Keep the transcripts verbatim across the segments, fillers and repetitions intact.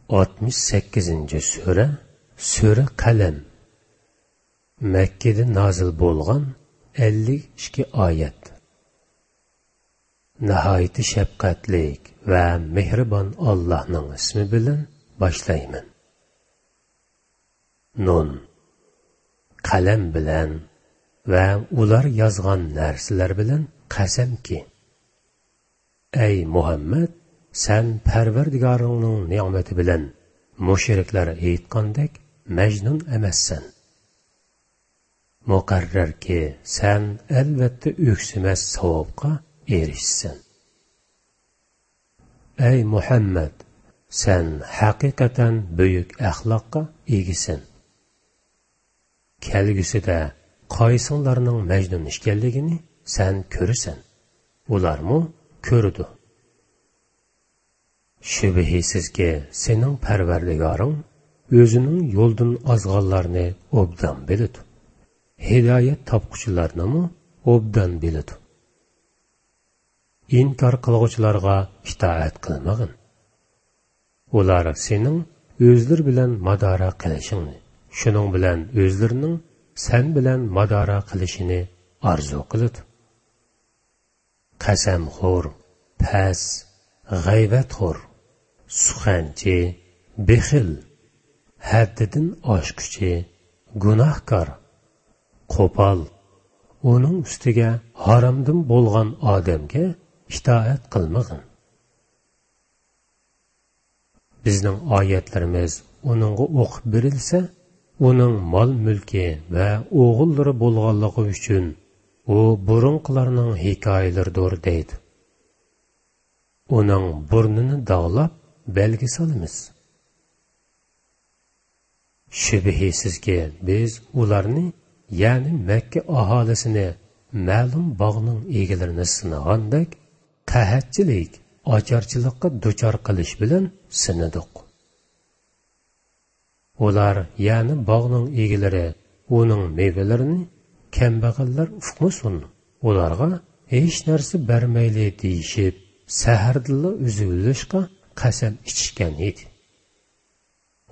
ئاتمىش سەككىزىنچى سۈرە، سۈرە قەلەم. مەككىدە نازىل بولغان، ئەللىك ئىككى ئايەت. ناھايىتى شەپقەتلىك ۋە مېھرىبان ئاللاھنىڭ ئىسمى بىلەن باشلايمەن. نۇن. قەلەم بىلەن ۋە ئۇلار يازغان نەرسىلەر بىلەن قەسەمكى، ئەي مۇھەممەد، سەن پەرۋەردىگارىڭنىڭ نېمىتى بىلەن مۇشرىكلار ئېيتقاندەك مەجنۇن ئەمەسسەن. مۇقەررەركى، سەن ئەلۋەتتە ئۆكسىمەس ساۋابقا ئېرىشىسەن. ئەي مۇھەممەد، سەن ھەقىقەتەن بۈيۈك ئەخلاققا ئىگىسەن. كەلگۈسىدە قايسىڭلارنىڭ مەجنۇن ئىكەنلىكىنى سەن كۆرىسەن، ئۇلارمۇ كۆرىدۇ. شۈبھىسىزكى، سېنىڭ پەرۋەردىگارىڭ ئۆزىنىڭ يولدىن ئازغانلارنى ئوبدان بىلىدۇ، ھىدايەت تاپقۇچىلارنىمۇ ئوبدان بىلىدۇ. ئىنكار قىلغۇچىلارغا ئىتائەت قىلمىغىن. ئۇلار سېنىڭ ئۆزلىرى بىلەن مادارا قىلىشىڭنى، شۇنىڭ بىلەن ئۆزلىرىنىڭ سەن بىلەن مادارا قىلىشىنى ئارزۇ قىلىدۇ. قەسەمخور، پەس، غەيۋەتخور، سۇخەنچى، بېخىل، ھەددىدىن ئاشقۇچى، گۇناھكار، قوپال، ئۇنىڭ ئۈستىگە ھارامدىن بولغان ئادەمگە ئىتائەت قىلمىغىن. بىزنىڭ ئايەتلىرىمىز ئۇنىڭغا ئوقۇپ بېرىلسە، ئۇنىڭ مال-مۈلكى ۋە ئوغۇللىرى بولغانلىقى ئۈچۈن، ئۇ بۇرۇنقىلارنىڭ ھېكايىلىرىدۇر دەيدۇ. ئۇنىڭ بۇرنىنى داغلاپ، بەلگە سالىمىز. شۈبھىسىزكى، بىز ئۇلارنى، يەنى مەككە ئاھالىسىنى، مەلۇم باغنىڭ ئىگىلىرىنى سىنىغاندەك، قەھەتچىلىك، ئاچارچىلىققا دۇچار قىلىش بىلەن سىنىدۇق. ئۇلار، يەنى باغنىڭ ئىگىلىرى، ئۇنىڭ مېۋىلىرىنى كەمبەغەللەر ئۇقمىسۇن، ئۇلارغا ھېچ نەرسە بەرمەيلى دېيىشىپ، سەھەردىنلا ئۈزۈۋېلىشقا قەسەم ئىچىشكەن ئىدى.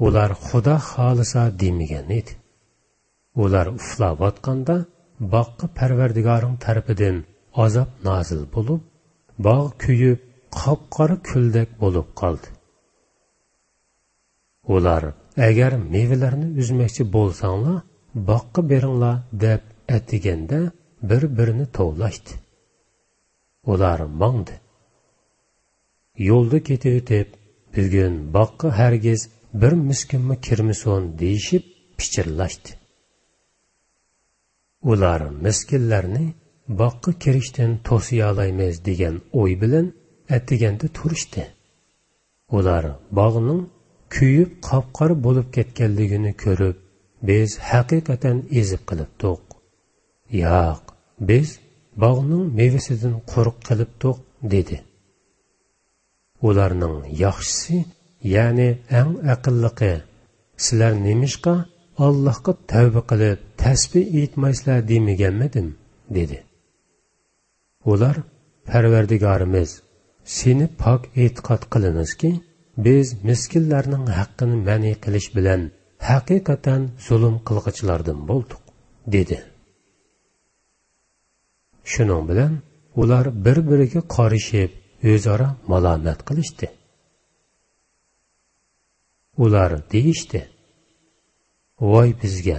ئۇلار خۇدا خالىسا دېمىگەن ئىدى. ئۇلار ئۇخلاۋاتقاندا باغقا پەرۋەردىگارىڭ تەرىپىدىن ئازاب نازىل بولۇپ، باغ كۆيۈپ، قاپقارا كۈلدەك بولۇپ قالدى. ئۇلار، ئەگەر مېۋىلەرنى ئۈزمەكچى بولساڭلار، باغقا بېرىڭلار، دەپ ئەتىگەندە بىر-بىرىنى توۋلاشتى. ئۇلار ماڭدى. يولدا كېتىۋېتىپ، بۈگۈن باغقا ھەرگىز بىر مىسكىنمۇ كىرمىسۇن، دېيىشىپ پىچىرلاشتى. ئۇلار مىسكىنلەرنى باغقا كىرىشتىن توسىيالايمىز دېگەن ئوي بىلەن ئەتىگەندە تۇرۇشتى. ئۇلار باغنىڭ كۆيۈپ قاپقارا بولۇپ كەتكەنلىكىنى كۆرۈپ، بىز ھەقىقەتەن ئېزىپ قېلىپتۇق. ياق، بىز باغنىڭ مېۋىسىدىن قۇرۇق قېلىپتۇق، دېدى. ئۇلارنىڭ ياخشىسى، يەنى ئەڭ ئەقىللىقى، سىلەر نېمىشقا ئاللاھقا تەۋبە قىلىپ تەسبىھ ئېيتمايسىلەر دېمىگەنمىدىم؟ دېدى. ئۇلار، پەرۋەردىگارىمىز، سېنى پاك ئېتىقاد قىلىمىزكى، بىز مىسكىنلەرنىڭ ھەققىنى مەنئى قىلىش بىلەن ھەقىقەتەن زۇلۇم قىلغۇچىلاردىن بولدۇق، دېدى. شۇنىڭ بىلەن ئۇلار بىر-بىرىگە قارىشىپ، ئۆزئارا مالامەت قىلىشتى. ئۇلار دېيىشتى: «ۋاي بىزگە!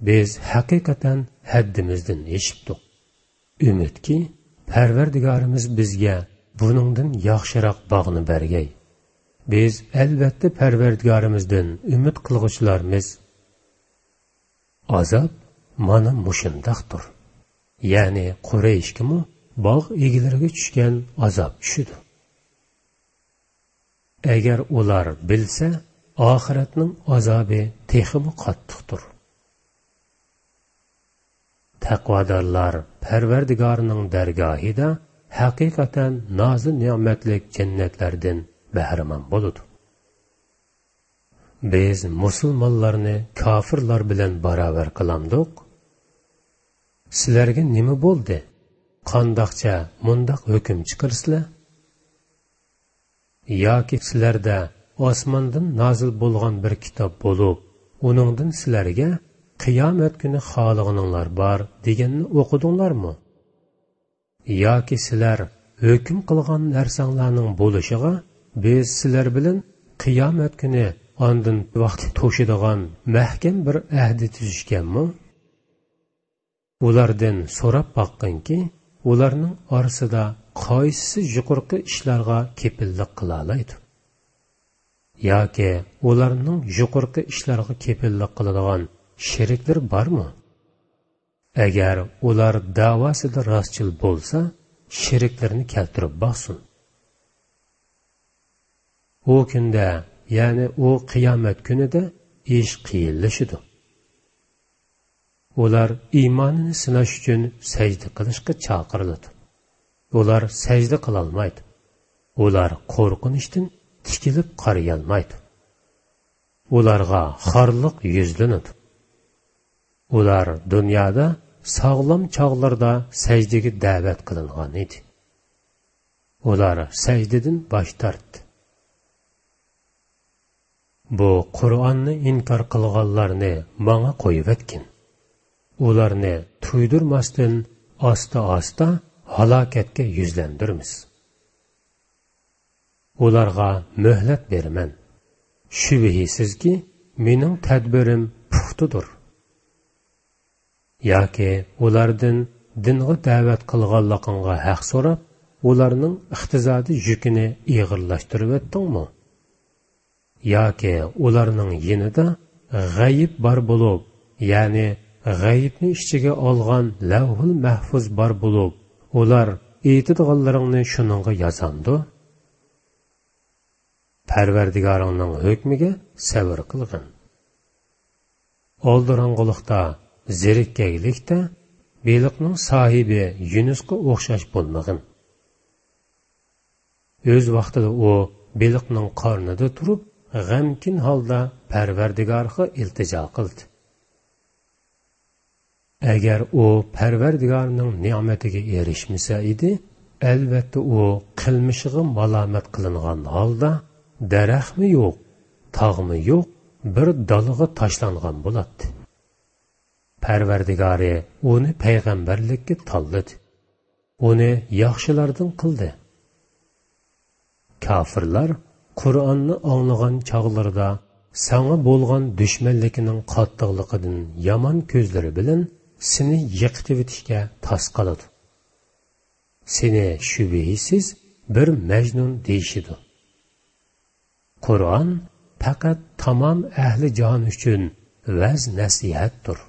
بىز ھەقىقەتەن ھەددىمىزدىن ئېشىپتۇق. ئۈمىدكى، پەرۋەردىگارىمىز بىزگە بۇنىڭدىن ياخشىراق باغنى بەرگەي. بىز ئەلۋەتتە پەرۋەردىگارىمىزدىن ئۈمىد قىلغۇچىلارمىز.» ئازاب مانا مۇشۇنداقتۇر. يەنى قۇرەيشكىمۇ باغ ئىگىلىرىگە چۈشكەن ئازاب چۈشىدۇ. ئەگەر ئۇلار بىلسە، ئاخىرەتنىڭ ئازابى تېخىمۇ قاتتىقتۇر. تەقۋادارلار پەرۋەردىگارىنىڭ دەرگاھىدا ھەقىقەتەن نازۇ نېمەتلىك جەننەتلەردىن بەھرىمەن بولىدۇ. بىز مۇسۇلمانلارنى كاپىرلار بىلەن باراۋەر قىلامدۇق؟ سىلەرگە نېمە بولدى؟ قانداقچە مۇنداق ھۆكۈم چىقىرىسىلەر؟ ياكى سىلەردە ئاسماندىن نازىل بولغان بىر كىتاب بولۇپ، ئۇنىڭدىن سىلەرگە «قىيامەت كۈنى خالىغىنىڭلار بار» دېگەننى ئوقۇدۇڭلارمۇ؟ ياكى سىلەر ھۆكۈم قىلغان نەرسەڭلارنىڭ بولۇشىغا بىز سىلەر بىلەن قىيامەت كۈنى ئاندىن ۋاقتى توشىدىغان مەھكەم بىر ئەھدى تۈزۈشكەنمۇ؟ ئۇلاردىن سوراپ باققىنكى، ئۇلارنىڭ ئارىسىدا قايسىسى يۇقىرىقى ئىشلارغا كېپىللىك قىلالايدۇ؟ ياكى ئۇلارنىڭ يۇقىرىقى ئىشلارغا كېپىللىك قىلىدىغان شېرىكلىرى بارمۇ؟ ئەگەر ئۇلار دەۋاسىدا راستچىل بولسا، شېرىكلىرىنى كەلتۈرۈپ باقسۇن. ئۇ كۈندە، يەنى ئۇ قىيامەت كۈنىدە ئىش قىيىنلىشىدۇ. ئۇلار ئىمانىنى سىناش ئۈچۈن سەجدە قىلىشقا چاقىرىلىدۇ. ئۇلار سەجدە قىلالمايدۇ. ئۇلار قورقۇنچتىن تىكىلىپ قارىيالمايدۇ. ئۇلارغا خارلىق يۈزلىنىدۇ. ئۇلار دۇنيادا ساغلام چاغلىرىدا سەجدىگە دەۋەت قىلىنغان ئىدى. ئۇلار سەجدىدىن باش تارتتى. بۇ قۇرئاننى ئىنكار قىلغانلارنى ماڭا قويۇۋەتكىن. ئۇلارنى تۇيدۇرماستىن ئاستا-ئاستا ھالاكەتكە يۈزلەندۈرىمىز. ئۇلارغا مۆھلەت بېرىمەن. شۈبھىسىزكى، مېنىڭ تەدبىرىم پۇختىدۇر. ياكى ئۇلاردىن دىنغا دەۋەت قىلغانلىقىڭغا ھەق سوراپ، ئۇلارنىڭ ئىقتىسادىي يۈكىنى ئېغىرلاشتۇرۇۋەتتىڭمۇ؟ ياكى ئۇلارنىڭ يېنىدا غەيىب بار بولۇپ، يەنى غەيىبنى ئىچىگە ئالغان لەۋھۇل مەھفۇز بار بولۇپ، ئۇلار ئېيتىدىغانلىرىڭنى شۇنىڭغا يازامدۇ؟ پەرۋەردىگارىڭنىڭ ھۆكمىگە سەۋر قىلغىن. ئالدىراڭغۇلۇقتا، زېرىككەنلىكتە بېلىقنىڭ ساھىبى يۇنۇسقا ئوخشاش بولمىغىن. ئۆز ۋاقتىدا ئۇ بېلىقنىڭ قارنىدا تۇرۇپ، غەمكىن ھالدا پەرۋەردىگارغا ئىلتىجا قىلدى. ئەگەر ئۇ پەرۋەردىگارنىڭ نېمىتىگە ئېرىشمىسە ئىدى، ئەلۋەتتە ئۇ قىلمىشىغا مالامەت قىلىنغان ھالدا دەرەخمۇ يوق، تاغمۇ يوق، بىر دالىغا تاشلانغان بولاتتى. پەرۋەردىگارى ئۇنى پەيغەمبەرلىككە تاللىدى. ئۇنى ياخشىلاردىن قىلدى. كاپىرلار قۇرئاننى ئاڭلىغان چاغلىرىدا ساڭا بولغان دۈشمەنلىكىنىڭ قاتتىقلىقىدىن يامان كۆزلىرى بىلەن سېنى يىقىتىۋېتىشكە تاس قالىدۇ. سېنى شۈبھىسىز بىر مەجنۇن دېيىشىدۇ. قۇرئان پەقەت تامام ئەھلى جاھان ئۈچۈن ۋەز-نەسىھەتتۇر.